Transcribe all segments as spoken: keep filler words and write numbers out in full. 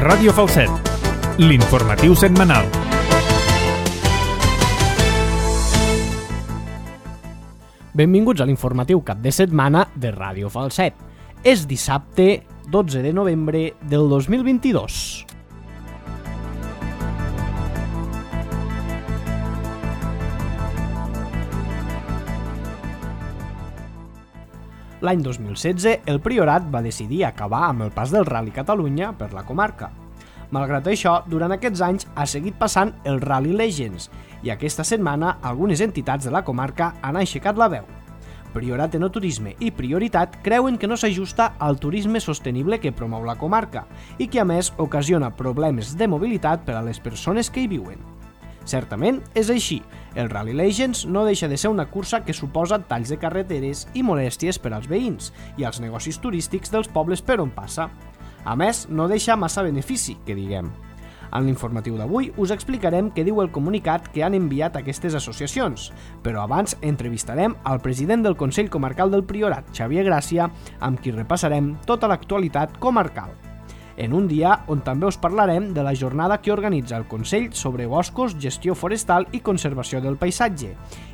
Ràdio Falset, l'informatiu setmanal. Benvinguts a l'informatiu cap de setmana de Ràdio Falset. És dissabte dotze de novembre del dos mil vint-i-dos. L'any dos mil setze, el Priorat va decidir acabar amb el pas del Rally Catalunya per la comarca. Malgrat això, durant aquests anys ha seguit passant el Rally Legends i aquesta setmana algunes entitats de la comarca han aixecat la veu. Priorat Enoturisme i Prioritat creuen que no s'ajusta al turisme sostenible que promou la comarca i que a més ocasiona problemes de mobilitat per a les persones que hi viuen. Certament és així, el Rally Legends no deixa de ser una cursa que suposa talls de carreteres i molèsties per als veïns i als negocis turístics dels pobles per on passa. A més, no deixa massa benefici, que diguem. En l'informatiu d'avui us explicarem què diu el comunicat que han enviat aquestes associacions, però abans entrevistarem al president del Consell Comarcal del Priorat, Xavier Gràcia, amb qui repassarem tota l'actualitat comarcal. En un dia on també us parlarem de la jornada que organitza el Consell sobre boscos, gestió forestal i conservació del paisatge,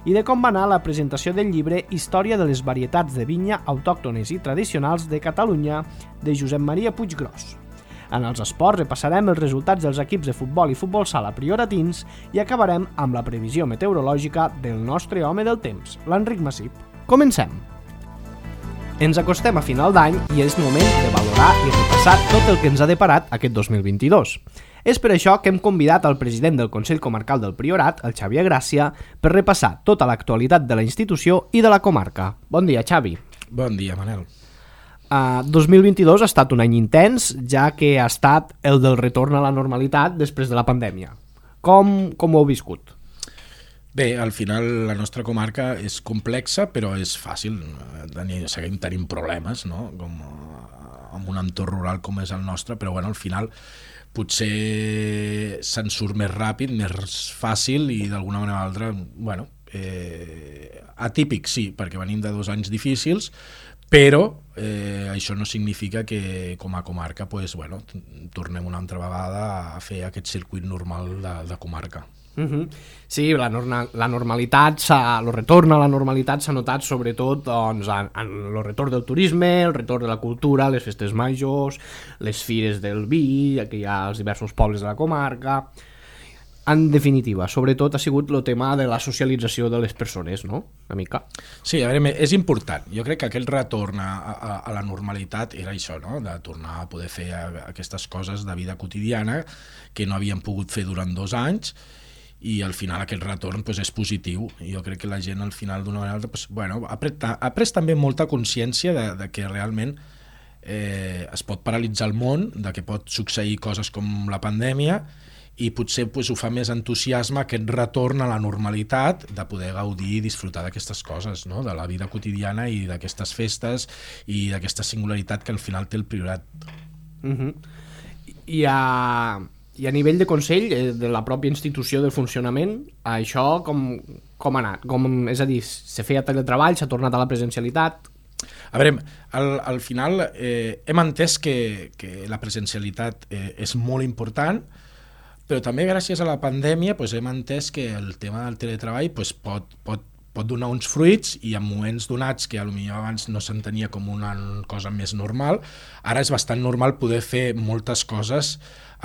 i de com va anar la presentació del llibre Història de les varietats de vinya autòctones i tradicionals de Catalunya de Josep Maria Puiggròs. En els esports repassarem els resultats dels equips de futbol i futbol sala prioratins i acabarem amb la previsió meteorològica del nostre home del temps, l'Enric Massip. Comencem! Ens acostem a final d'any i és moment de valorar i repassar tot el que ens ha deparat aquest dos mil vint-i-dos. És per això que hem convidat al president del Consell Comarcal del Priorat, el Xavier Gràcia, per repassar tota l'actualitat de la institució i de la comarca. Bon dia, Xavi. Bon dia, Manel. Uh, dos mil vint-i-dos ha estat un any intens, ja que ha estat el del retorn a la normalitat després de la pandèmia. Com, com ho heu viscut? Bé, al final la nostra comarca és complexa, però és fàcil. Tenir, seguim tenint problemes, no? Com amb un entorn rural com és el nostre, però bueno, al final potser se'n surt més ràpid, més fàcil i d'alguna manera o altra, bueno, eh, atípic sí, perquè venim de dos anys difícils, però eh, això no significa que com a comarca pues, bueno, tornem una altra vegada a fer aquest circuit normal de, de comarca. Uh-huh. Sí, la, norma, la normalitat, el retorn a la normalitat s'ha notat sobretot doncs, en, en el retorn del turisme, el retorn de la cultura, les festes majors, les fires del vi, que hi ha als diversos pobles de la comarca. En definitiva, sobretot ha sigut el tema de la socialització de les persones, no? Una mica. Sí, a veure, és important. Jo crec que aquell retorn a, a, a la normalitat era això, no? De tornar a poder fer aquestes coses de vida quotidiana que no havíem pogut fer durant dos anys i al final aquest retorn pues, és positiu i jo crec que la gent al final d'una manera pues, bueno, ha, pres, ha pres també molta consciència de, de que realment eh, es pot paralitzar el món, de que pot succeir coses com la pandèmia i potser pues, ho fa més entusiasme aquest retorn a la normalitat de poder gaudir i disfrutar d'aquestes coses, no? De la vida quotidiana i d'aquestes festes i d'aquesta singularitat que al final té el Priorat. Uh-huh. I a... I a nivell de Consell, de la pròpia institució del funcionament, això com, com ha anat? Com, és a dir, se feia teletreball, s'ha tornat a la presencialitat? A veure, al, al final eh, hem entès que, que la presencialitat eh, és molt important, però també gràcies a la pandèmia pues, hem entès que el tema del teletreball pues, pot, pot, pot donar uns fruits i en moments donats que potser abans no s'entenia com una cosa més normal, ara és bastant normal poder fer moltes coses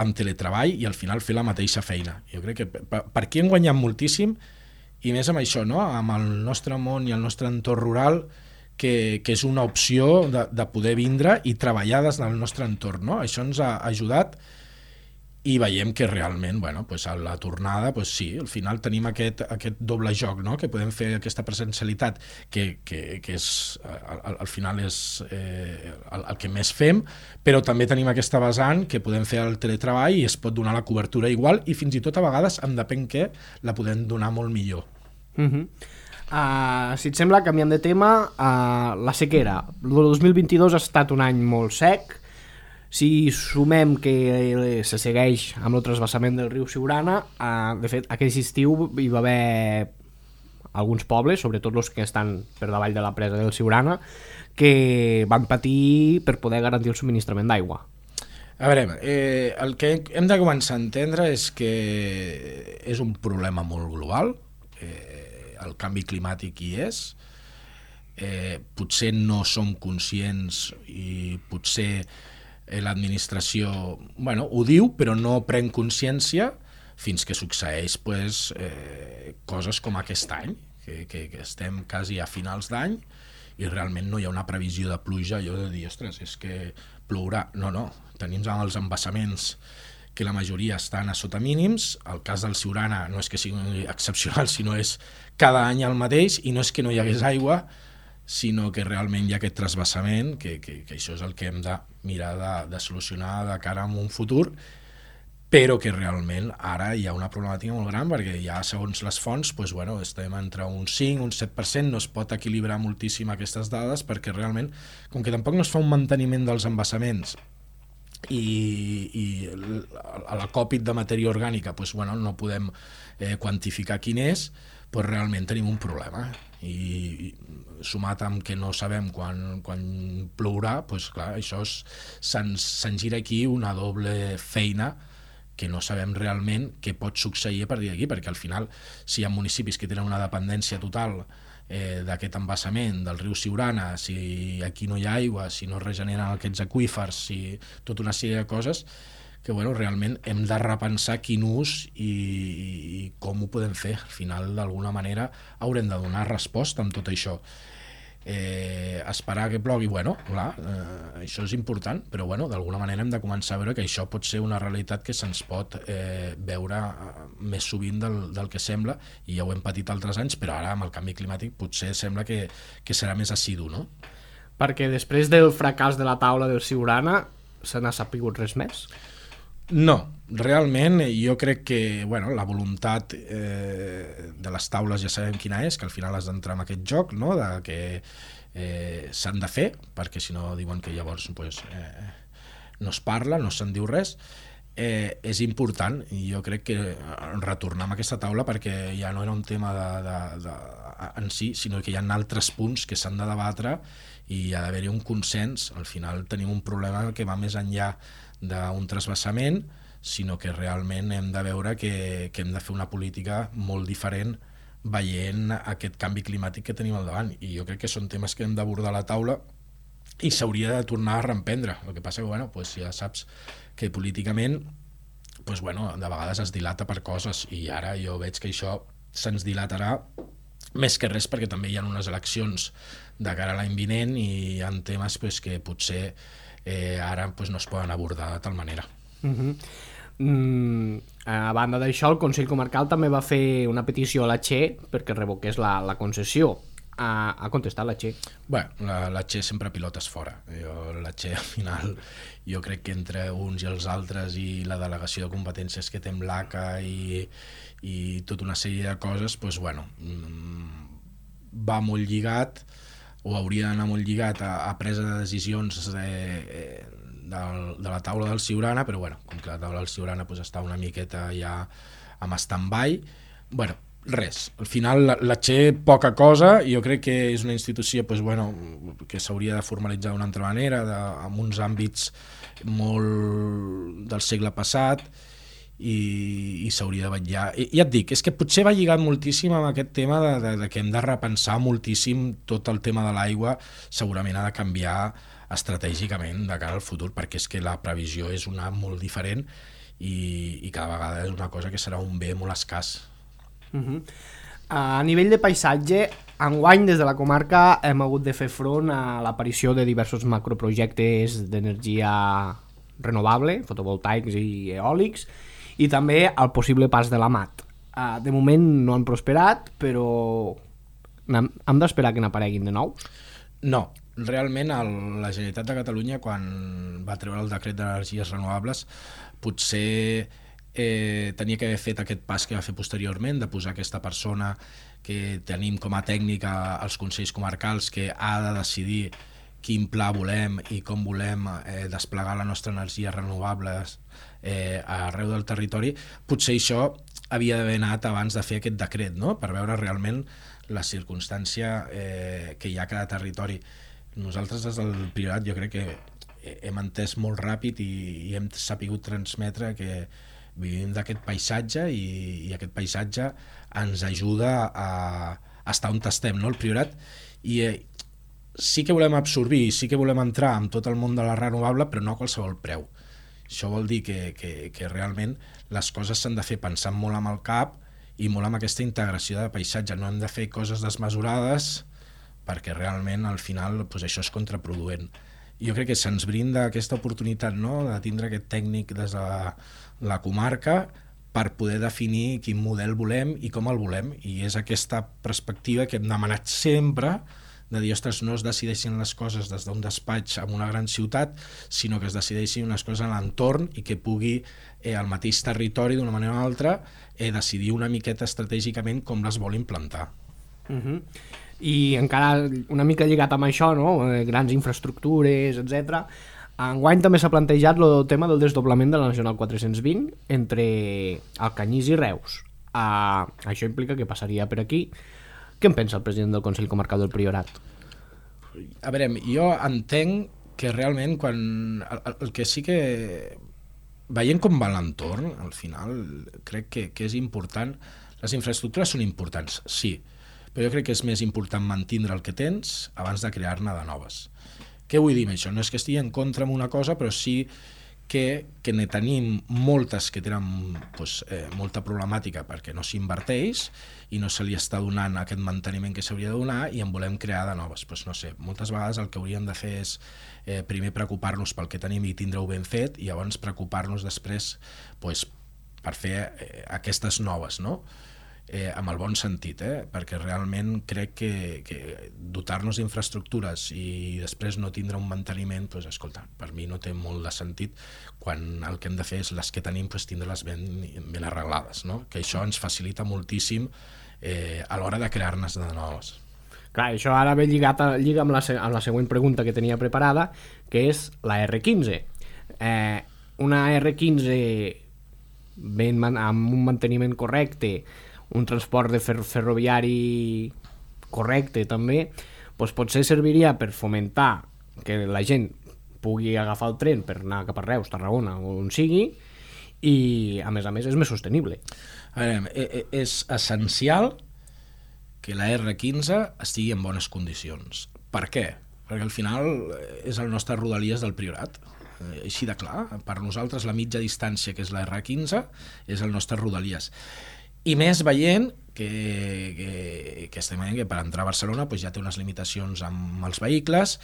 amb teletreball i al final fer la mateixa feina. Jo crec que per, per aquí hem guanyat moltíssim i més amb això, no? Amb el nostre món i el nostre entorn rural que, que és una opció de, de poder vindre i treballar des del nostre entorn, no? Això ens ha ajudat i veiem que realment, bueno, pues a la tornada, pues sí, al final tenim aquest, aquest doble joc, no? Que podem fer aquesta presencialitat que, que, que és, al, al final és eh, el, el que més fem, però també tenim aquesta vessant que podem fer el teletreball i es pot donar la cobertura igual i fins i tot a vegades, en depèn què, la podem donar molt millor. Uh-huh. Uh, si et sembla, canviant de tema, uh, la sequera. El dos mil vint-i-dos ha estat un any molt sec. Si sumem que se segueix amb el transvasament del riu Siurana, eh, de fet, aquest estiu hi va haver alguns pobles, sobretot els que estan per davall de la presa del Siurana, que van patir per poder garantir el subministrament d'aigua. A veure, eh, el que hem de començar a entendre és que és un problema molt global, eh, el canvi climàtic hi és, eh, potser no som conscients i potser eh, l'administració bueno, ho diu però no pren consciència fins que succeeix pues, eh, coses com aquest any, que, que, que estem quasi a finals d'any i realment no hi ha una previsió de pluja, allò de dir, ostres, és que plourà. No, no, tenim els embassaments que la majoria estan a sota mínims, el cas del Siurana no és que sigui excepcional, sinó és cada any el mateix, i no és que no hi hagués aigua, sinó que realment hi ha aquest trasbassament, que, que, que això és el que hem de mirar de, de solucionar de cara a un futur, però que realment ara hi ha una problemàtica molt gran perquè ja segons les fonts doncs, bueno, estem entre un cinc, un set per cent, no es pot equilibrar moltíssim aquestes dades perquè realment, com que tampoc no es fa un manteniment dels embassaments i, i a l'acòpit de matèria orgànica doncs, bueno, no podem eh, quantificar quin és, doncs realment tenim un problema i sumat amb que no sabem quan, quan plourà, doncs clar, això se'ns se'n gira aquí una doble feina que no sabem realment què pot succeir a partir d'aquí, perquè al final, si hi ha municipis que tenen una dependència total eh, d'aquest embassament del riu Siurana, si aquí no hi ha aigua, si no es regeneren aquests aqüífers, si tota una sèrie de coses, que bueno, realment hem de repensar quin ús i, i com ho podem fer. Al final, d'alguna manera, haurem de donar resposta amb tot això. Eh, esperar que plogui, bueno, clar, eh, això és important, però bueno, d'alguna manera hem de començar a veure que això pot ser una realitat que se'ns pot eh, veure més sovint del, del que sembla, i ja ho hem patit altres anys, però ara amb el canvi climàtic potser sembla que, que serà més assidu, no? Perquè després del fracàs de la taula del Siurana se n'ha sapigut res més? No, realment jo crec que bueno, la voluntat eh, de les taules ja sabem quina és, que al final has d'entrar en aquest joc, no? De que eh, s'han de fer, perquè si no diuen que llavors pues, eh, no es parla, no se'n diu res. Eh, és important i jo crec que retornar a aquesta taula perquè ja no era un tema de, de, de, en si, sinó que hi ha altres punts que s'han de debatre i hi ha d'haver-hi un consens. Al final tenim un problema que va més enllà d'un trasbassament, sinó que realment hem de veure que, que hem de fer una política molt diferent veient aquest canvi climàtic que tenim al davant, i jo crec que són temes que hem d'abordar a la taula i s'hauria de tornar a reemprendre. El que passa que bueno, pues ja saps que políticament pues bueno, de vegades es dilata per coses, i ara jo veig que això se'ns dilatarà més que res perquè també hi ha unes eleccions de cara a l'any vinent i hi ha temes pues, que potser eh, ara pues, no es poden abordar de tal manera. Uh-huh. Mm, a banda d'això, el Consell Comarcal també va fer una petició a la Che perquè revoqués la, la concessió. Ha, ha contestat la Che? Bé, la, la Che sempre pilotes fora. Jo, la Che al final jo crec que entre uns i els altres i la delegació de competències que té amb l'A C A i, i tota una sèrie de coses, doncs, bueno, va molt lligat o hauria d'anar molt lligat a, a presa de decisions de, de, de la taula del Siurana, però bueno, com que la taula del Siurana pues, està una miqueta ja amb stand-by, bueno, res. Al final la, la Che poca cosa, i jo crec que és una institució pues, bueno, que s'hauria de formalitzar d'una altra manera, de, amb uns àmbits molt del segle passat, i, i s'hauria de vetllar. I, ja et dic, és que potser va lligat moltíssim amb aquest tema de, de, de que hem de repensar moltíssim tot el tema de l'aigua, segurament ha de canviar estratègicament de cara al futur, perquè és que la previsió és una molt diferent i, i cada vegada és una cosa que serà un bé molt escàs. Uh-huh. A nivell de paisatge, enguany des de la comarca hem hagut de fer front a l'aparició de diversos macroprojectes d'energia renovable, fotovoltaics i eòlics, i també al possible pas de la mat. Uh, de moment no han prosperat, però hem, hem d'esperar que n'apareguin de nous? No, realment el, la Generalitat de Catalunya, quan va treure el decret d'energies renovables, potser eh, tenia que haver fet aquest pas que va fer posteriorment, de posar aquesta persona que tenim com a tècnica als consells comarcals, que ha de decidir quin pla volem i com volem eh, desplegar la nostra energia renovables eh, arreu del territori. Potser això havia d'haver anat abans de fer aquest decret, no? Per veure realment la circumstància eh, que hi ha a cada territori. Nosaltres des del Priorat jo crec que hem entès molt ràpid i, i hem sapigut transmetre que vivim d'aquest paisatge i, i aquest paisatge ens ajuda a, a estar on estem, no? El Priorat, i eh, sí que volem absorbir, sí que volem entrar en tot el món de la renovable, però no a qualsevol preu. Això vol dir que, que, que realment les coses s'han de fer pensant molt amb el cap i molt amb aquesta integració de paisatge. No hem de fer coses desmesurades perquè realment al final pues, això és contraproduent. Jo crec que se'ns brinda aquesta oportunitat, no?, de tindre aquest tècnic des de la, la comarca per poder definir quin model volem i com el volem, i és aquesta perspectiva que hem demanat sempre, de dir, ostres, no es decideixin les coses des d'un despatx en una gran ciutat, sinó que es decideixin unes coses en l'entorn i que pugui eh, el mateix territori, d'una manera o altra, eh, decidir una miqueta estratègicament com les vol implantar. Uh-huh. I encara una mica lligat amb això, no? Eh, grans infraestructures, etcètera. Enguany també s'ha plantejat el tema del desdoblament de la Nacional quatre-cents vint entre Alcanyís i Reus. Uh, això implica que passaria per aquí. Què en pensa el president del Consell Comarcal del Priorat? A veure, jo entenc que realment quan el, el que sí que veient com va l'entorn, al final crec que, que és important. Les infraestructures són importants, sí, però jo crec que és més important mantindre el que tens abans de crear-ne de noves. Què vull dir amb això? No és que estigui en contra amb una cosa, però sí que, que ne tenim moltes que tenen pues, eh, molta problemàtica perquè no s'inverteix i no se li està donant aquest manteniment que s'hauria de donar i en volem crear de noves. Pues, no sé, moltes vegades el que hauríem de fer és eh, primer preocupar-nos pel que tenim i tindre-ho ben fet i llavors preocupar-nos després pues, per fer eh, aquestes noves, no? Eh, amb el bon sentit, eh? Perquè realment crec que, que dotar-nos d'infraestructures i després no tindre un manteniment, doncs, escolta, per mi no té molt de sentit quan el que hem de fer és les que tenim doncs, tindre-les ben, ben arreglades, no? Que això ens facilita moltíssim eh, a l'hora de crear-ne de noves. Clar, això ara ve lligat a, lliga amb la, amb la següent pregunta que tenia preparada, que és la erre quinze. Eh, una erre quinze ben, amb un manteniment correcte, un transport de fer ferroviari correcte també, doncs potser serviria per fomentar que la gent pugui agafar el tren per anar cap a Reus, Tarragona o on sigui, i a més a més és més sostenible. A veure, és essencial que la erre quinze estigui en bones condicions. Per què? Perquè al final és el nostre Rodalies del Priorat, així de clar. Per nosaltres la mitja distància, que és la erre quinze, és el nostre Rodalies. I més veient que, que, que estem veient que per entrar a Barcelona pues, ja té unes limitacions amb els vehicles,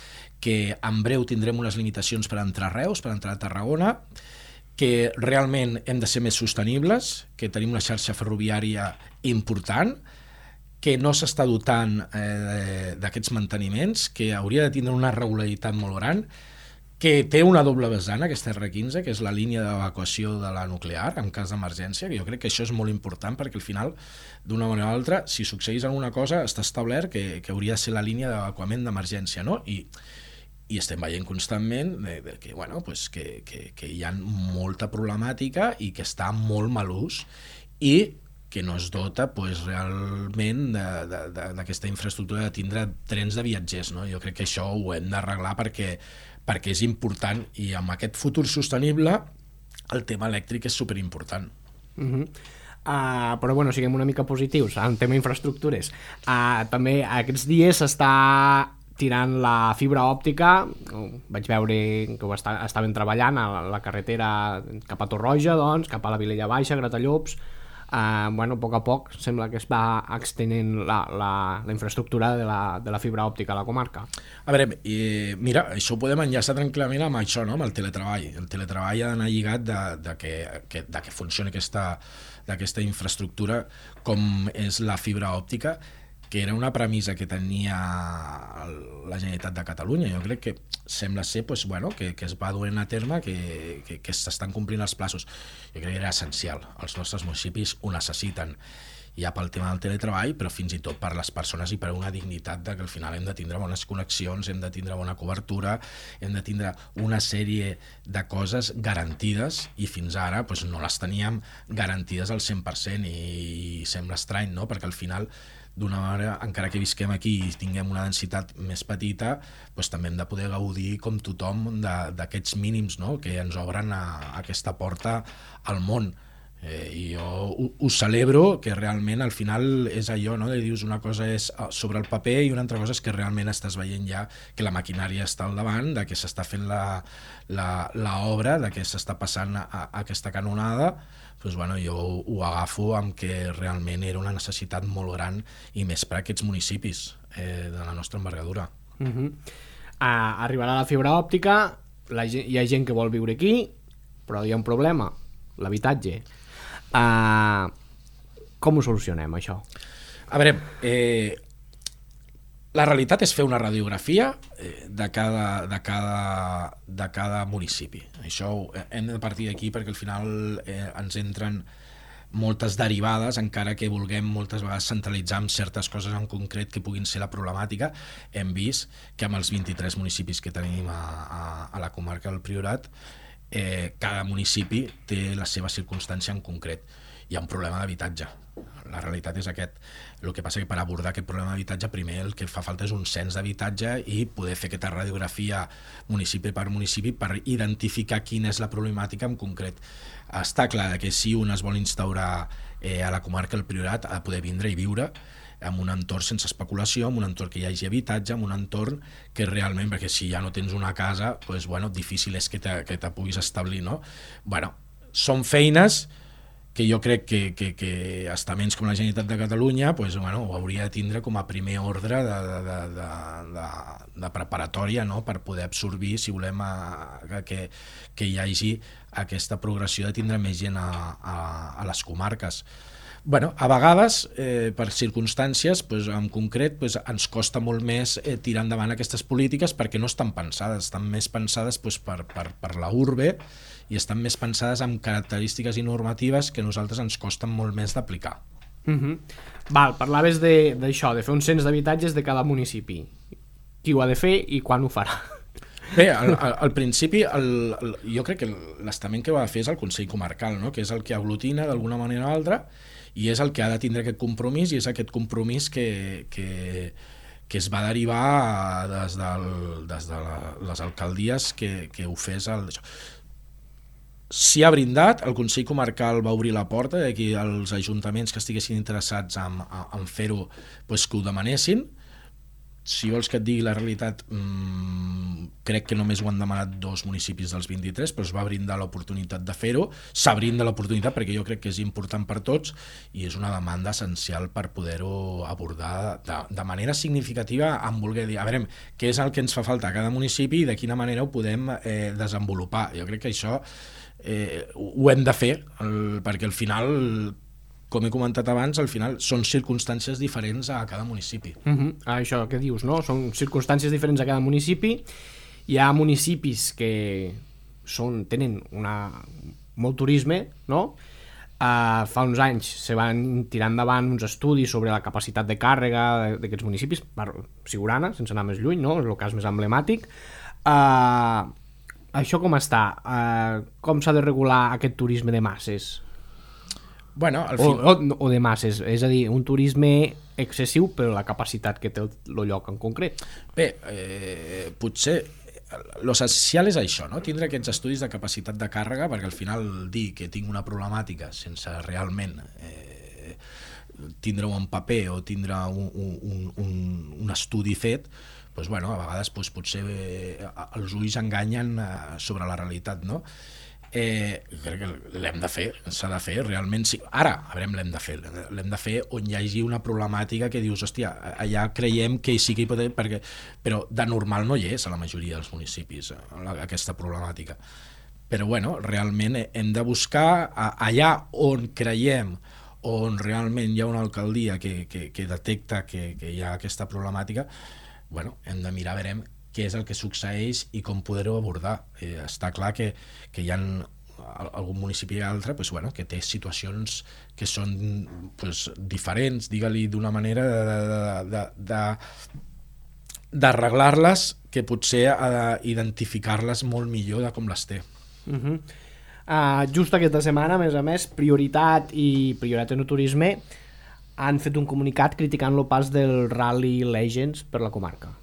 que en breu tindrem unes limitacions per entrar a Reus, per entrar a Tarragona, que realment hem de ser més sostenibles, que tenim una xarxa ferroviària important, que no s'està dotant eh, d'aquests manteniments, que hauria de tindre una regularitat molt gran, que té una doble vessant, aquesta erre quinze, que és la línia d'evacuació de la nuclear en cas d'emergència, que jo crec que això és molt important perquè al final, d'una manera o altra, si succeís alguna cosa, està establert que, que hauria de ser la línia d'evacuament d'emergència, no? I, i estem veient constantment de, de que, bueno, pues que, que, que hi ha molta problemàtica i que està molt mal ús i que no es dota pues, realment d'aquesta infraestructura de tindre trens de viatgers, no? Jo crec que això ho hem d'arreglar perquè perquè és important i amb aquest futur sostenible el tema elèctric és superimportant. Uh-huh. Uh, però bueno, siguem una mica positius en tema infraestructures. Uh, també aquests dies s'està tirant la fibra òptica, vaig veure que ho està, estaven treballant a la carretera cap a Torroja, doncs, cap a la Vilella Baixa, Gratallops. Uh, bueno, a poc a poc sembla que es va extenent la, la, la infraestructura de la, de la fibra òptica a la comarca. A veure, eh, mira, això ho podem enllaçar tranquil·lament amb això, no? Amb el teletreball. El teletreball ha d'anar lligat de, de, que, que, de que funcioni aquesta, d'aquesta infraestructura com és la fibra òptica, que era una premissa que tenia la Generalitat de Catalunya. Jo crec que sembla ser pues, bueno, que, que es va duent a terme, que, que, que s'estan complint els plaços. Jo crec que era essencial. Els nostres municipis ho necessiten, ja pel tema del teletreball, però fins i tot per les persones i per una dignitat de que al final hem de tindre bones connexions, hem de tindre bona cobertura, hem de tindre una sèrie de coses garantides i fins ara pues, no les teníem garantides al cent per cent i, i sembla estrany, no? Perquè al final d'una manera, encara que visquem aquí i tinguem una densitat més petita, doncs també hem de poder gaudir com tothom d'aquests mínims, no? Que ens obren a, a aquesta porta al món. Eh, i jo ho, ho celebro, que realment al final és allò, no? De dius una cosa és sobre el paper i una altra cosa és que realment estàs veient ja que la maquinària està al davant, de que s'està fent la, la, la obra, de que s'està passant a, a aquesta canonada. Doncs, bueno, jo ho agafo amb que realment era una necessitat molt gran i més per a aquests municipis eh, de la nostra envergadura. Uh-huh. uh, arribarà la fibra òptica, la gent, hi ha gent que vol viure aquí, però hi ha un problema, l'habitatge. Uh, com ho solucionem, això? A veure, eh, la realitat és fer una radiografia de cada, de cada, de cada municipi. Això hem de partir d'aquí perquè al final eh, ens entren moltes derivades, encara que vulguem moltes vegades centralitzar en certes coses en concret que puguin ser la problemàtica. Hem vist que amb els vint-i-tres municipis que tenim a, a, a la comarca del Priorat, eh, cada municipi té la seva circumstància en concret. Hi ha un problema d'habitatge. La realitat és aquest. El que passa que per abordar aquest problema d'habitatge, primer el que fa falta és un cens d'habitatge i poder fer aquesta radiografia municipi per municipi per identificar quina és la problemàtica en concret. Està clar que si un es vol instaurar eh, a la comarca del Priorat, ha de poder vindre i viure en un entorn sense especulació, en un entorn que hi hagi habitatge, en un entorn que realment, perquè si ja no tens una casa, doncs, bueno, difícil és que te, que te puguis establir, no? Bueno, són feines que jo crec que, que, que estaments com la Generalitat de Catalunya pues, bueno, ho hauria de tindre com a primer ordre de, de, de, de, de preparatòria, no? Per poder absorbir, si volem, a, que, que hi hagi aquesta progressió de tindre més gent a, a, a les comarques. Bueno, a vegades, eh, per circumstàncies, pues, en concret, pues, ens costa molt més eh, tirar endavant aquestes polítiques perquè no estan pensades, estan més pensades pues, per, per, per la urbe i estan més pensades amb característiques i normatives que a nosaltres ens costen molt més d'aplicar. Uh-huh. Val, parlaves d'això, de, de fer un cens d'habitatges de cada municipi. Qui ho ha de fer i quan ho farà? Bé, al, al, al principi el, el, jo crec que l'estament que ho ha de fer és el Consell Comarcal, no? Que és el que aglutina d'alguna manera o altra i és el que ha de tindre aquest compromís i és aquest compromís que, que, que es va derivar des, del, des de la, les alcaldies que, que ho fes el, això. S'hi ha brindat, el Consell Comarcal va obrir la porta de que els ajuntaments que estiguessin interessats en, en fer-ho pues, que ho demanessin. Si vols que et digui la realitat, mmm, crec que només ho han demanat dos municipis dels vint-i-tres, però es va brindar l'oportunitat de fer-ho. S'ha brindat l'oportunitat perquè jo crec que és important per tots i és una demanda essencial per poder-ho abordar de, de manera significativa en voler dir, a veure, què és el que ens fa falta a cada municipi i de quina manera ho podem eh, desenvolupar. Jo crec que això eh, ho hem de fer, el, perquè al final, com he comentat abans, al final són circumstàncies diferents a cada municipi. Uh-huh. Això que dius, no? Són circumstàncies diferents a cada municipi. Hi ha municipis que són, tenen una, molt turisme, no? Uh, fa uns anys se van tirar endavant uns estudis sobre la capacitat de càrrega d'aquests municipis, per Siurana, sense anar més lluny, no? És el cas més emblemàtic. Uh, això com està? Uh, com s'ha de regular aquest turisme de masses? Bueno, al fin... o, o, o de masses, és a dir, un turisme excessiu però la capacitat que té el, el lloc en concret. Bé, eh, potser l'essencial és això, no? Tindre aquests estudis de capacitat de càrrega, perquè al final dir que tinc una problemàtica sense realment eh, tindre-ho en paper o tindre un, un, un, un estudi fet, doncs, bueno, a vegades doncs, potser eh, els ulls enganyen eh, sobre la realitat, no? Eh, crec que l'hem de fer, s'ha de fer realment, sí. Ara, a veure, l'hem de fer l'hem de fer on hi hagi una problemàtica que dius, hòstia, allà creiem que sí que hi pot haver, perquè, però de normal no hi és a la majoria dels municipis aquesta problemàtica, però bueno, realment hem de buscar allà on creiem, on realment hi ha una alcaldia que, que, que detecta que, que hi ha aquesta problemàtica, bueno, hem de mirar, veurem què és el que succeeix i com poder-ho abordar. Eh, està clar que, que hi ha algun municipi i altre pues, bueno, que té situacions que són pues, diferents, digue-li d'una manera d'arreglar-les que potser ha d'identificar-les molt millor de com les té. Uh-huh. uh, just aquesta setmana, a més a més, Prioritat i Prioritat en el Turisme han fet un comunicat criticant el pas del Rally Legends per la comarca.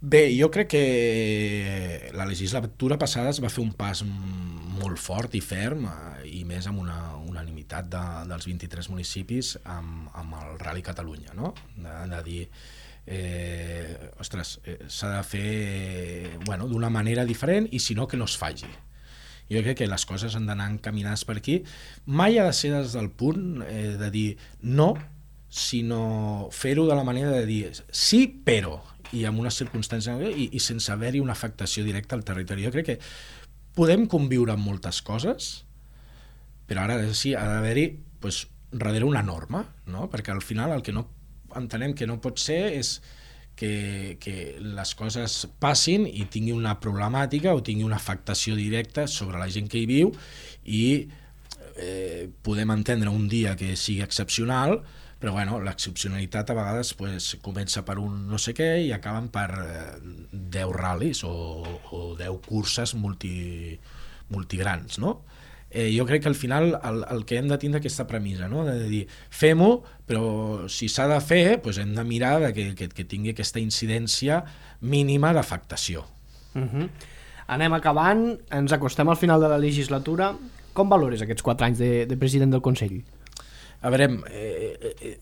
Bé, jo crec que la legislatura passada es va fer un pas molt fort i ferm i més amb una unanimitat de, dels vint-i-tres municipis amb, amb el Rally Catalunya, no? De, de dir, eh, ostres, eh, s'ha de fer bueno, d'una manera diferent i si no que no es faci. Jo crec que les coses han d'anar encaminades per aquí. Mai ha de ser des del punt eh, de dir no, sinó fer-ho de la manera de dir sí, però i amb una circumstància i, i sense haver-hi una afectació directa al territori. Jo crec que podem conviure amb moltes coses, però ara sí, ha d'haver-hi pues, darrere una norma, no? Perquè al final el que no entenem que no pot ser és que, que les coses passin i tingui una problemàtica o tingui una afectació directa sobre la gent que hi viu i eh, podem entendre un dia que sigui excepcional, però bueno, l'excepcionalitat a vegades pues, comença per un no sé què i acaben per eh, deu ral·lis o, o deu curses multi, multigrans, no? Eh, jo crec que al final el, el que hem de tindre aquesta premissa, no? De dir, fem-ho, però si s'ha de fer, pues hem de mirar de que, que, que tingui aquesta incidència mínima d'afectació. Uh-huh. Anem acabant, ens acostem al final de la legislatura. Com valores aquests quatre anys de, de president del Consell? A veure, eh, eh,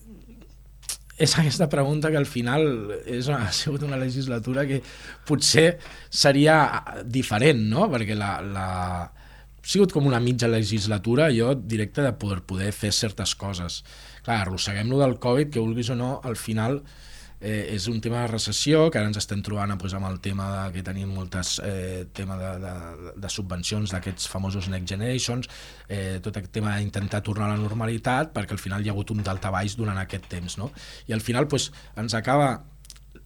és aquesta pregunta que al final és una, ha sigut una legislatura que potser seria diferent, no? Perquè la, la, ha sigut com una mitja legislatura, jo directe de poder, poder fer certes coses. Clar, arrosseguem-lo del Covid, que vulguis o no, al final eh, és un tema de recessió, que ara ens estem trobant pues, amb el tema de, que tenim moltes eh, tema de, de, de subvencions d'aquests famosos Next Generations, eh, tot aquest tema d'intentar tornar a la normalitat, perquè al final hi ha hagut un daltabaix durant aquest temps, no? I al final pues, ens acaba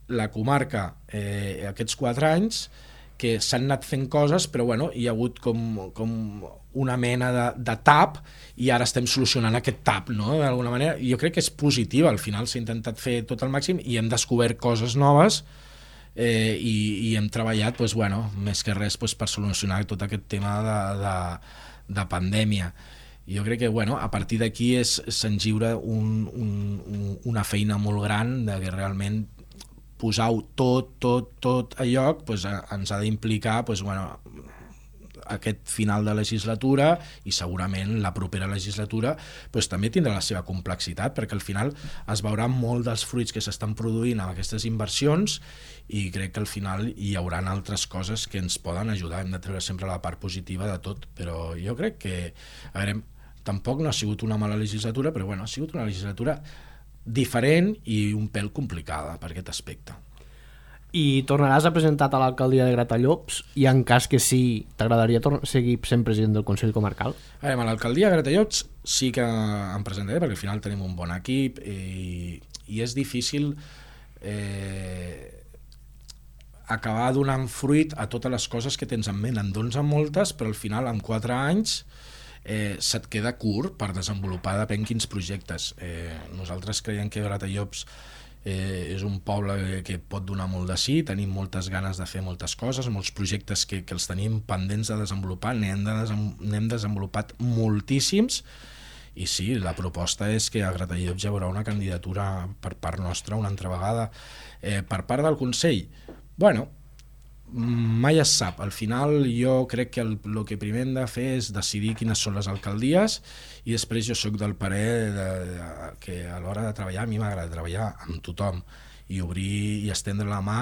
la comarca eh, aquests quatre anys que s'han anat fent coses, però bueno, hi ha hagut com, com una mena de, de tap i ara estem solucionant aquest tap, no? D'alguna manera. Jo crec que és positiva, al final s'ha intentat fer tot al màxim i hem descobert coses noves eh, i, i hem treballat, pues, bueno, més que res pues, per solucionar tot aquest tema de, de, de pandèmia. Jo crec que bueno, a partir d'aquí s'engiura un, un, una feina molt gran de que realment posar-ho tot, tot, tot a lloc pues, ens ha d'implicar pues, bueno, aquest final de legislatura i segurament la propera legislatura pues, també tindrà la seva complexitat perquè al final es veurà molt dels fruits que s'estan produint amb aquestes inversions i crec que al final hi haurà altres coses que ens poden ajudar. Hem de treure sempre la part positiva de tot, però jo crec que a veure, tampoc no ha sigut una mala legislatura, però bueno, ha sigut una legislatura diferent i un pèl complicada per aquest aspecte. I tornaràs a presentar a l'alcaldia de Gratallops i en cas que sí, t'agradaria seguir sent president del Consell Comarcal? A veure, a l'alcaldia de Gratallops sí que em presentaré perquè al final tenim un bon equip i, i és difícil eh, acabar donant fruit a totes les coses que tens en ment. En dones moltes, però al final en quatre anys eh, se't queda curt per desenvolupar depèn quins projectes. Eh, nosaltres creiem que Gratallops eh, és un poble que, que pot donar molt de sí, tenim moltes ganes de fer moltes coses, molts projectes que, que els tenim pendents de desenvolupar, n'hem de n'hem desenvolupat moltíssims i sí, la proposta és que a Gratallops hi haurà una candidatura per part nostra una altra vegada. Eh, per part del Consell, bueno, mai es sap. Al final jo crec que el, el que primer hem de fer és decidir quines són les alcaldies i després jo sóc del parer de, de, que a l'hora de treballar a mi m'agrada treballar amb tothom i obrir i estendre la mà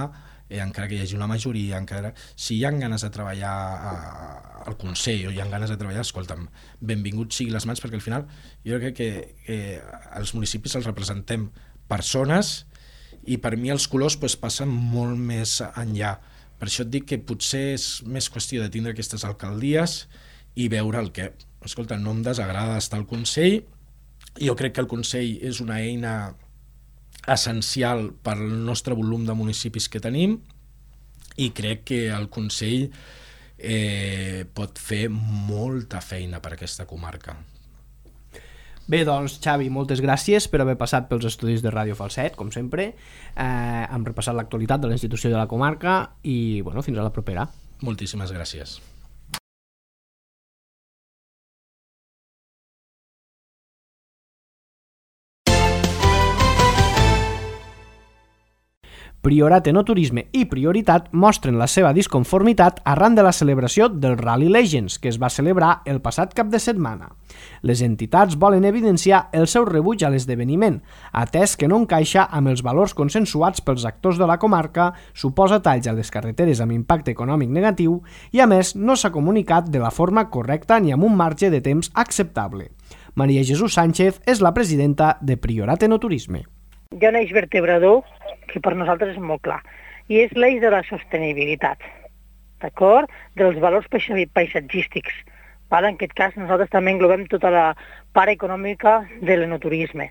eh, encara que hi hagi una majoria, encara si hi ha ganes de treballar a, al Consell o hi ha ganes de treballar, escolta'm, benvinguts siguin les mans perquè al final jo crec que, que els municipis els representem persones i per mi els colors pues, passen molt més enllà. Per això et dic que potser és més qüestió de tindre aquestes alcaldies i veure el que... Escolta, no em desagrada estar al Consell. Jo crec que el Consell és una eina essencial per al nostre volum de municipis que tenim i crec que el Consell eh, pot fer molta feina per a aquesta comarca. Bé, doncs, Xavi, moltes gràcies per haver passat pels estudis de Ràdio Falset, com sempre. Eh, hem repassat l'actualitat de la institució de la comarca i, bueno, fins a la propera. Moltíssimes gràcies. Priorat, Enoturisme i Prioritat mostren la seva disconformitat arran de la celebració del Rally Legends, que es va celebrar el passat cap de setmana. Les entitats volen evidenciar el seu rebuig a l'esdeveniment, atès que no encaixa amb els valors consensuats pels actors de la comarca, suposa talls a les carreteres amb impacte econòmic negatiu i, a més, no s'ha comunicat de la forma correcta ni amb un marge de temps acceptable. Maria Jesús Sánchez és la presidenta de Priorat, Enoturisme. Hi ha un eix vertebrador que per nosaltres és molt clar, i és l'eix de la sostenibilitat, d'acord? Dels valors paisatgístics. En aquest cas, nosaltres també englobem tota la part econòmica de l'enoturisme,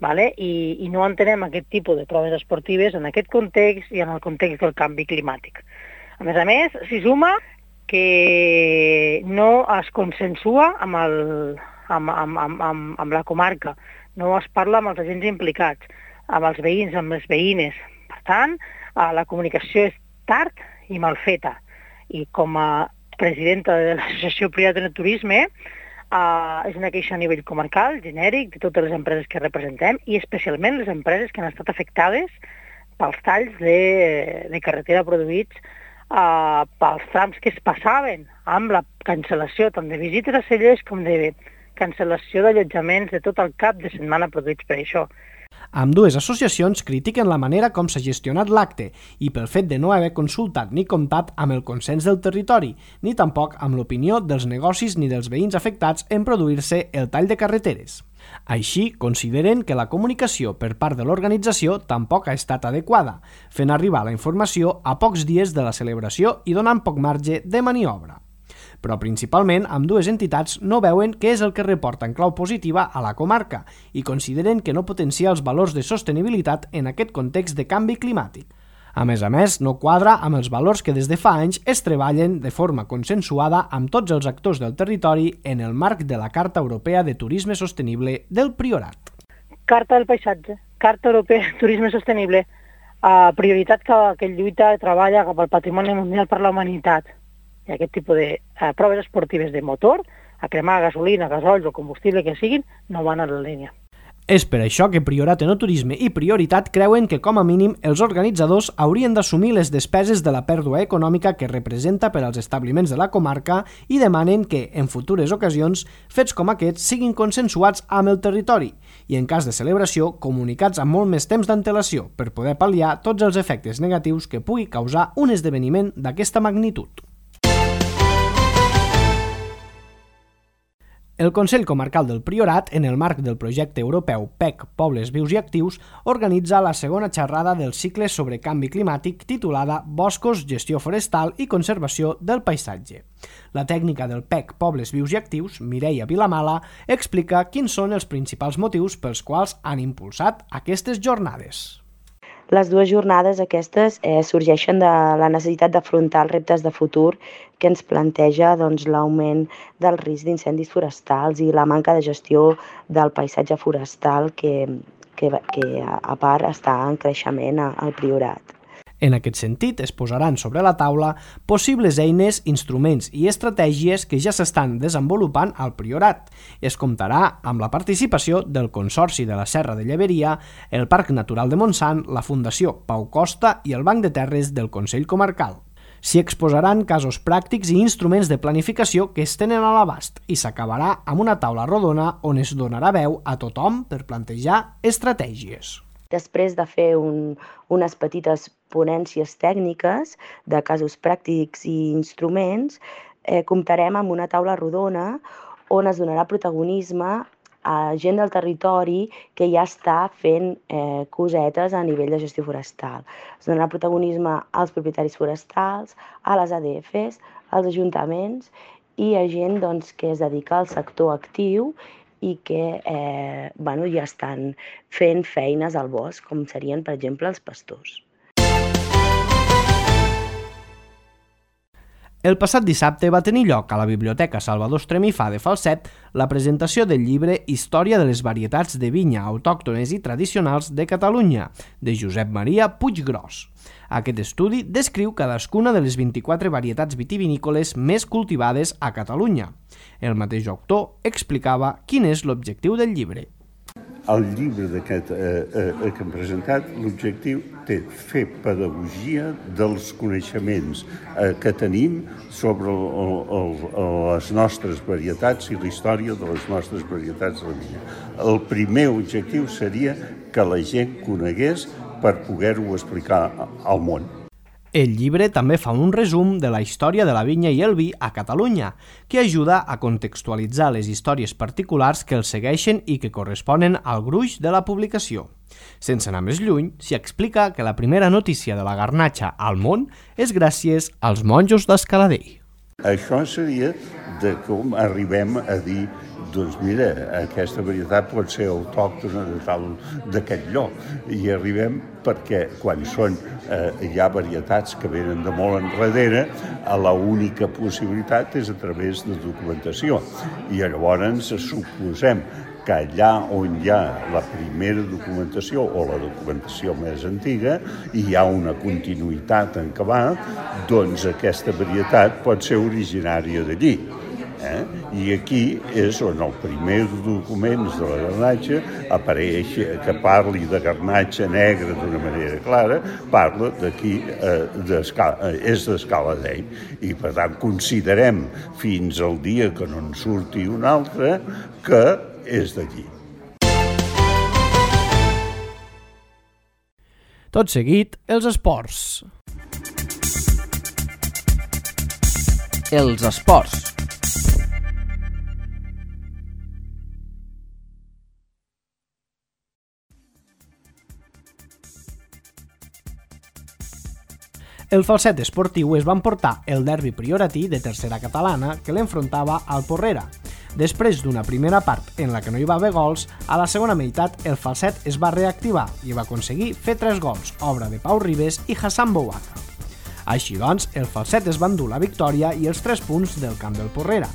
I, i no entenem aquest tipus de proves esportives en aquest context i en el context del canvi climàtic. A més a més, s'hi suma que no es consensua amb, el, amb, amb, amb, amb, amb la comarca, no es parla amb els agents implicats, amb els veïns, amb les veïnes. Per tant, la comunicació és tard i mal feta. I com a presidenta de l'Associació Priorat de Turisme, és una queixa a nivell comarcal, genèric, de totes les empreses que representem, i especialment les empreses que han estat afectades pels talls de, de carretera produïts uh, pels trams que es passaven amb la cancel·lació tant de visites a cellers com de cancel·lació d'allotjaments de tot el cap de setmana produïts per això. Ambdues associacions critiquen la manera com s'ha gestionat l'acte i pel fet de no haver consultat ni comptat amb el consens del territori, ni tampoc amb l'opinió dels negocis ni dels veïns afectats en produir-se el tall de carreteres. Així, consideren que la comunicació per part de l'organització tampoc ha estat adequada, fent arribar la informació a pocs dies de la celebració i donant poc marge de maniobra. Però principalment ambdues entitats no veuen què és el que reporta en clau positiva a la comarca i consideren que no potencia els valors de sostenibilitat en aquest context de canvi climàtic. A més a més, no quadra amb els valors que des de fa anys es treballen de forma consensuada amb tots els actors del territori en el marc de la Carta Europea de Turisme Sostenible del Priorat. Carta del Paisatge, Carta Europea de Turisme Sostenible, uh, prioritat que, que lluita i treballa cap al patrimoni mundial per la humanitat. I aquest tipus de uh, proves esportives de motor, a cremar gasolina, gasols o combustible que siguin, no van a la línia. És per això que Priorat, Enoturisme i Prioritat creuen que, com a mínim, els organitzadors haurien d'assumir les despeses de la pèrdua econòmica que representa per als establiments de la comarca i demanen que, en futures ocasions, fets com aquests siguin consensuats amb el territori i, en cas de celebració, comunicats amb molt més temps d'antelació per poder pal·liar tots els efectes negatius que pugui causar un esdeveniment d'aquesta magnitud. El Consell Comarcal del Priorat, en el marc del projecte europeu P E C Pobles Vius i Actius, organitza la segona xerrada del cicle sobre canvi climàtic titulada Boscos, gestió forestal i conservació del paisatge. La tècnica del P E C Pobles Vius i Actius, Mireia Vilamala, explica quins són els principals motius pels quals han impulsat aquestes jornades. Les dues jornades aquestes eh, sorgeixen de la necessitat d'afrontar els reptes de futur que ens planteja doncs, l'augment del risc d'incendis forestals i la manca de gestió del paisatge forestal que, que, que a part està en creixement al Priorat. En aquest sentit, es posaran sobre la taula possibles eines, instruments i estratègies que ja s'estan desenvolupant al Priorat. Es comptarà amb la participació del Consorci de la Serra de Lleberia, el Parc Natural de Montsant, la Fundació Pau Costa i el Banc de Terres del Consell Comarcal. S'hi exposaran casos pràctics i instruments de planificació que es tenen a l'abast i s'acabarà amb una taula rodona on es donarà veu a tothom per plantejar estratègies. Després de fer un, unes petites ponències tècniques de casos pràctics i instruments, eh, comptarem amb una taula rodona on es donarà protagonisme a gent del territori que ja està fent eh, cosetes a nivell de gestió forestal. Es donarà protagonisme als propietaris forestals, a les A D Fs, als ajuntaments i a gent doncs, que es dedica al sector actiu i que eh, bueno, ja estan fent feines al bosc, com serien, per exemple, els pastors. El passat dissabte va tenir lloc a la Biblioteca Salvador Estremifà de Falset la presentació del llibre Història de les varietats de vinya autòctones i tradicionals de Catalunya, de Josep Maria Puiggròs. Aquest estudi descriu cadascuna de les vint-i-quatre varietats vitivinícoles més cultivades a Catalunya. El mateix autor explicava quin és l'objectiu del llibre. el llibre d'aquest eh, eh, que hem presentat, l'objectiu té fer pedagogia dels coneixements eh, que tenim sobre el, el, el, les nostres varietats i la història de les nostres varietats de la vinya. El primer objectiu seria que la gent conegués per poder-ho explicar al món. El llibre també fa un resum de la història de la vinya i el vi a Catalunya, que ajuda a contextualitzar les històries particulars que els segueixen i que corresponen al gruix de la publicació. Sense anar més lluny, s'hi explica que la primera notícia de la garnatxa al món és gràcies als monjos d'Escaladei. Això seria de com arribem a dir, doncs mira, aquesta varietat pot ser autòctona de tal d'aquest lloc. I arribem perquè quan són, eh, hi ha varietats que venen de molt enrere, la única possibilitat és a través de documentació. I llavors suposem que allà on hi ha la primera documentació o la documentació més antiga i hi ha una continuïtat en què va, doncs aquesta varietat pot ser originària d'allí. Eh? I aquí és on el primer documents de la garnatxa apareix, que parli de garnatxa negra d'una manera clara, parla d'aquí, eh, és d'Escaladei. I per tant considerem fins al dia que no en surti un altre que és d'allí. Tot seguit, els esports. Els esports. El Falset esportiu es va emportar el derbi prioratí de tercera catalana que l'enfrontava al Porrera. Després d'una primera part en la que no hi va haver gols, a la segona meitat el Falset es va reactivar i va aconseguir fer tres gols, obra de Pau Ribes i Hassan Bouaka. Així doncs, el Falset es va endur la victòria i els tres punts del camp del Porrera.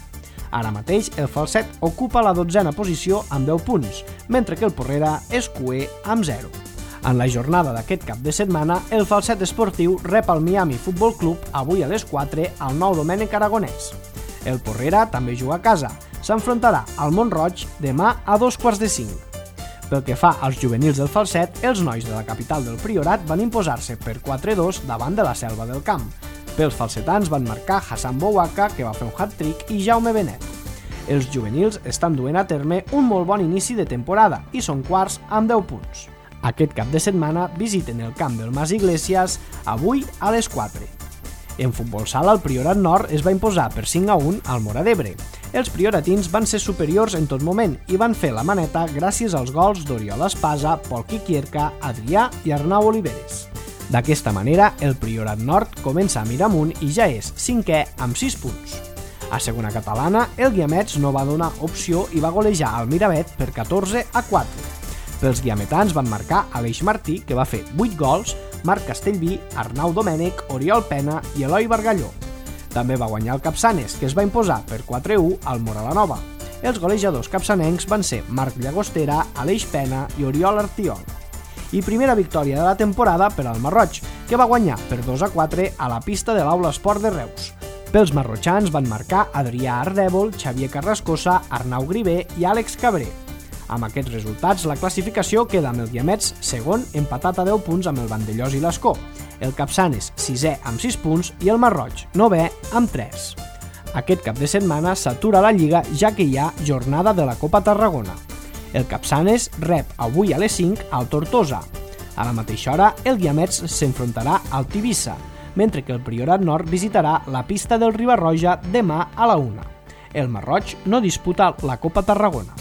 Ara mateix, el Falset ocupa la dotzena posició amb deu punts, mentre que el Porrera és cuer amb zero. En la jornada d'aquest cap de setmana, el Falset esportiu rep el Miami Futbol Club avui a les quatre al Nou Domènec Aragonès. El Porrera també juga a casa. S'enfrontarà al Mont-roig demà a dos quarts de cinc. Pel que fa als juvenils del Falset, els nois de la capital del Priorat van imposar-se per quatre a dos davant de la Selva del Camp. Pels falsetans van marcar Hassan Bouaka, que va fer un hat-trick, i Jaume Benet. Els juvenils estan duent a terme un molt bon inici de temporada i són quarts amb deu punts. Aquest cap de setmana visiten el camp del Mas Iglesias avui a les quatre. En futbol sala, el Priorat Nord es va imposar per cinc a un al Móra d'Ebre. Els prioratins van ser superiors en tot moment i van fer la maneta gràcies als gols d'Oriol Espasa, Pol Quiquierca, Adrià i Arnau Oliveres. D'aquesta manera, el Priorat Nord comença a mirar amunt i ja és cinquè amb sis punts. A segona catalana, el Guiamets no va donar opció i va golejar al Miravet per catorze a quatre. Pels guiametans van marcar Aleix Martí, que va fer vuit gols, Marc Castellví, Arnau Domènech, Oriol Pena i Eloi Bargalló. També va guanyar el Capçanes, que es va imposar per quatre a u al Moralanova. Els golejadors capçanencs van ser Marc Llagostera, Aleix Pena i Oriol Artiol. I primera victòria de la temporada per al Marroig, que va guanyar per dos a quatre a la pista de l'Aula Esport de Reus. Pels marrotxans van marcar Adrià Ardèvol, Xavier Carrascosa, Arnau Grivé i Àlex Cabré. Amb aquests resultats, la classificació queda amb el Guiamets segon, empatat a deu punts amb el Vandellós i l'Escó, el Capçanes sisè amb sis punts i el Marroig novè amb tres. Aquest cap de setmana s'atura la Lliga ja que hi ha jornada de la Copa Tarragona. El Capçanes rep avui a les cinc al Tortosa. A la mateixa hora, el Guiamets s'enfrontarà al Tivissa, mentre que el Priorat Nord visitarà la pista del Ribarroja demà a la una. El Marroig no disputa la Copa Tarragona.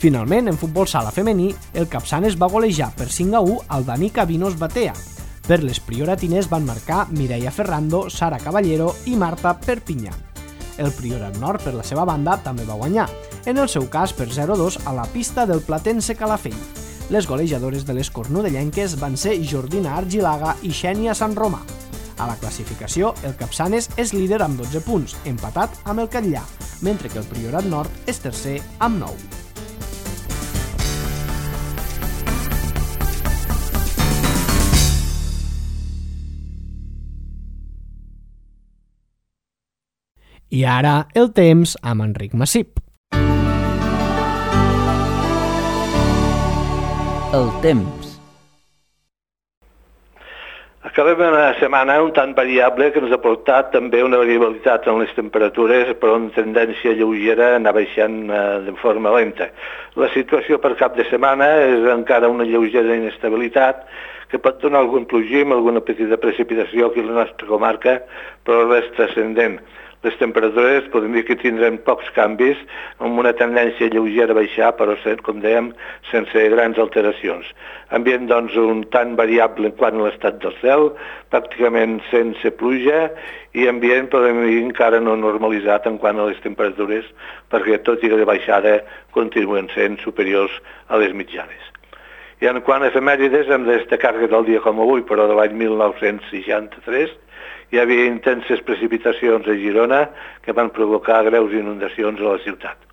Finalment, en futbol sala femení, el Capçanes va golejar per cinc a u al Danica Vinos Batea. Per les prioratines van marcar Mireia Ferrando, Sara Caballero i Marta Perpinyà. El Priorat Nord, per la seva banda, també va guanyar, en el seu cas per zero a dos a la pista del Platense Calafell. Les golejadores de les cornudellenques van ser Jordina Argilaga i Xènia Sant Romà. A la classificació, el Capçanes és líder amb dotze punts, empatat amb el Catllà, mentre que el Priorat Nord és tercer amb nou. I ara, el temps amb Enric Massip. El temps. Acabem una setmana un tant variable que ens ha portat també una variabilitat en les temperatures, però una tendència lleugera a anar baixant de forma lenta. La situació per cap de setmana és encara una lleugera inestabilitat que pot donar algun plogim, alguna petita precipitació aquí a la nostra comarca, però res transcendent. Les temperatures podem dir que tindrem pocs canvis, amb una tendència lleugera a baixar, però, com dèiem, sense grans alteracions. Ambient, doncs, un tant variable en quant a l'estat del cel, pràcticament sense pluja, i ambient, podem dir, encara no normalitzat en quant a les temperatures, perquè, tot i que de baixada, continuen sent superiors a les mitjanes. I en quant a efemèrides, hem de destacar que del dia com avui, però de l'any mil nou-cents seixanta-tres, hi havia intenses precipitacions a Girona que van provocar greus inundacions a la ciutat.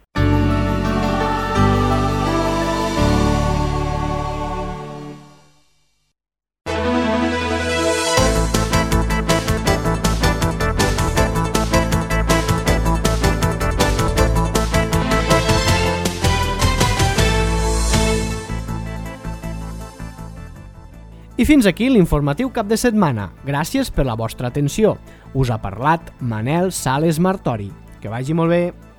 I fins aquí l'informatiu cap de setmana. Gràcies per la vostra atenció. Us ha parlat Manel Sales Martori. Que vagi molt bé.